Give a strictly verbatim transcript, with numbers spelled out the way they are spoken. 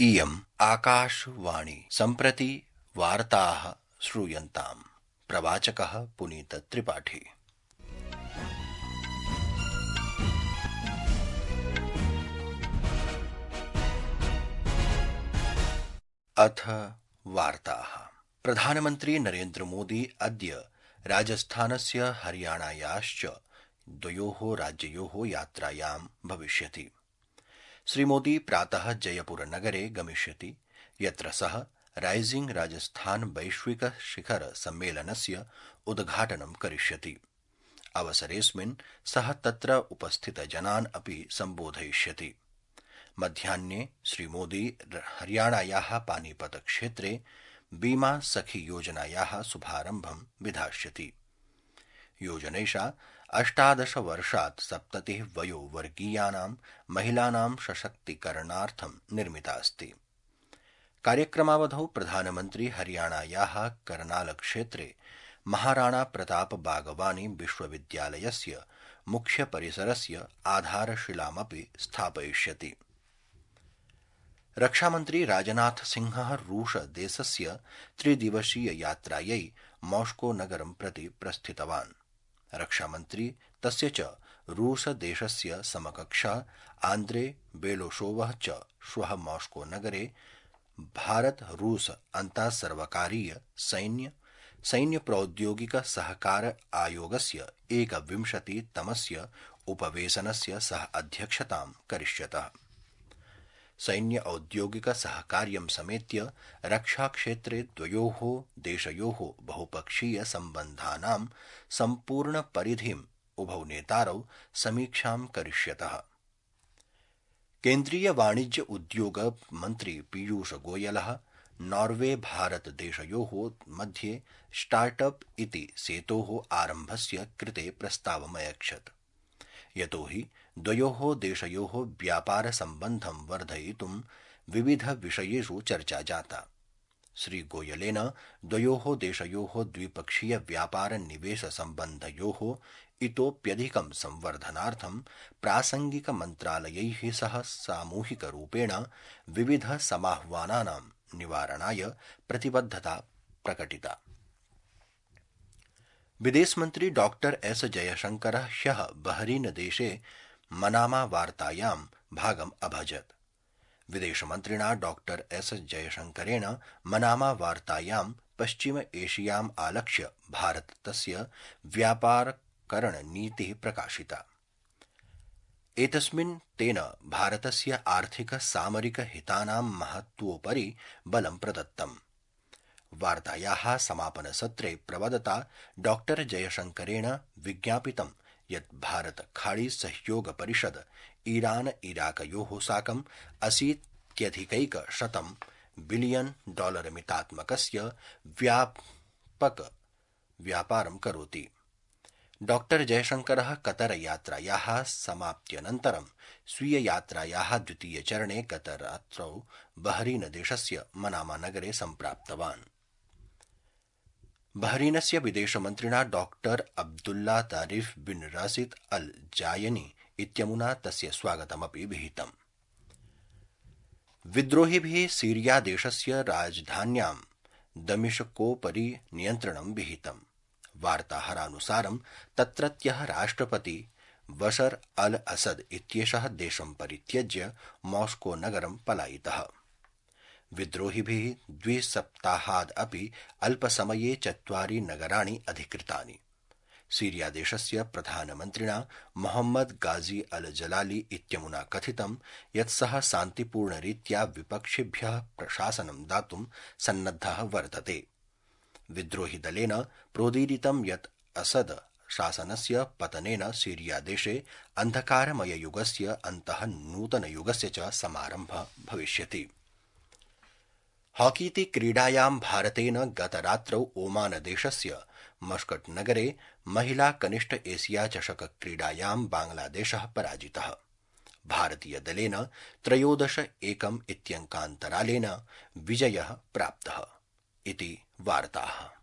इयम् आकाशवाणी सम्प्रति वार्ताः श्रूयन्ताम्। प्रवाचकः पुनीत त्रिपाठी। अथ वार्ताः। प्रधानमन्त्री नरेन्द्र मोदी अद्य राजस्थानस्य हरियाणायाश्च द्वयोः राज्ययोः यात्रायां भविष्यति। श्रीमोदी प्रातः जयपुर नगरे गमिष्यति, यत्र सः राइजिंग राजस्थान वैश्विक शिखर सम्मेलनस्य उद्घाटनं करिष्यति। अवसरेऽस्मिन् सः तत्र उपस्थितजनान् अपि सम्बोधयिष्यति। मध्याह्ने श्रीमोदी हरियाणायाः पानीपत क्षेत्रे बीमा सखी योजनायाः शुभारम्भं विधास्यति। योजनैषा अष्टादश वर्षात् सप्ततिः वयोवर्गीयानां महिलानां सशक्तीकरणार्थं निर्मिता अस्ति। कार्यक्रमावधौ प्रधानमन्त्री हरियाणायाः करनाल क्षेत्रे महाराणा प्रताप बागवानी विश्वविद्यालयस्य मुख्य परिसरस्य आधारशिलामपि स्थापयिष्यति। रक्षामन्त्री राजनाथ सिंहः रूस देशस्य त्रिदिवसीय यात्रायै मॉस्को नगरं प्रति प्रस्थितवान्। रक्षामन्त्री तस्य च रूस देशस्य समकक्षः आन्द्रे बेलोशोवः च श्वः मॉस्को नगरे भारत रूस अन्तासर्वकारीय सैन्य सैन्य प्रौद्योगिक सहकार आयोगस्य एकविंशतितमस्य उपवेशनस्य सह अध्यक्षतां करिष्यतः। सैन्य औद्योगिक सहकार्यं समेत्य रक्षाक्षेत्रे द्वयोः देशयोः बहुपक्षीय सम्बन्धानां सम्पूर्ण परिधिम् उभौ नेतारौ समीक्षां करिष्यतः। केन्द्रीय वाणिज्य उद्योग मन्त्री पीयूष गोयलः नॉर्वे भारत देशयोः मध्ये स्टार्टअप इति सेतोः आरम्भस्य कृते प्रस्तावमयच्छत्, यतो हि द्वयोः देशयोः व्यापार सम्बन्धं वर्धयितुं विविध विषयेषु चर्चा जाता। श्रीगोयलेन द्वयोः देशयोः द्विपक्षीय व्यापार निवेश सम्बन्धयोः इतोप्यधिकं संवर्धनार्थं प्रासंगिक मन्त्रालयैः सह सामूहिकरूपेण विविध समाह्वानानां निवारणाय प्रतिबद्धता प्रकटिता। विदेशमन्त्री डॉक्टर एस जयशंकरः ह्यः बहरीन देशे मनामा वार्तायां भागम् अभजत्। विदेशमन्त्रिणा डॉक्टर एस जयशंकरेण मनामा वार्तायां पश्चिम एशियाम् आलक्ष्य भारतस्य व्यापारकरणनीतिः प्रकाशिता। एतस्मिन् तेन भारतस्य आर्थिक सामरिक हितानां महत्त्वोपरि बलं प्रदत्तम्। वार्तायाः समापनसत्रे प्रवदता डॉक्टर जयशंकरेण विज्ञापितं यत् भारत खाड़ी सहयोग परिषद ईरान इराकयोः साकम् अशीत्यधिकैकशतं बिलियन डॉलर मितात्मकस्य व्यापक व्यापारं करोति। डॉक्टर जयशंकरः कतर यात्रायाः समाप्त्यनन्तरं स्वीय यात्रायाः द्वितीय चरणे गतरात्रौ बहरीन देशस्य मनामा नगरे सम्प्राप्तवान्। बहरीनस्य विदेशमन्त्रिणा डॉक्टर अब्दुल्ला तारिफ बिन राशिद अल जायनी इत्यमुना तस्य स्वागतमपि विहितम्। विद्रोहिभिः सीरिया देशस्य राजधान्यां दमिश्कोपरि नियन्त्रणं विहितम्। वार्ताहरानुसारं तत्रत्यः राष्ट्रपति बशर अल असद इत्येषः देशं परित्यज्य मॉस्को नगरं पलायितः। विद्रोहिभिः द्विसप्ताहाद् अपि अल्पसमये चत्वारि नगराणि अधिकृतानि। सीरिया देशस्य प्रधानमन्त्रिणा मोहम्मद गाजी अल जलाली इत्यमुना कथितं यत् सः शान्तिपूर्णरीत्या विपक्षिभ्यः प्रशासनं दातुं सन्नद्धः वर्तते। विद्रोहिदलेन प्रोदीरितं यत् असद शासनस्य पतनेन सीरिया देशे अन्धकारमययुगस्य अन्तः नूतनयुगस्य च समारम्भः भविष्यति। हॉकीति क्रीडायां भारतेन गतरात्रौ ओमान देशस्य मस्कट नगरे महिला कनिष्ठ एशिया चषक क्रीडायां बांग्लादेशः पराजितः। भारतीयदलेन त्रयोदश एकम् इत्यङ्कान्तरालेन विजयः प्राप्तः इति वार्ताः।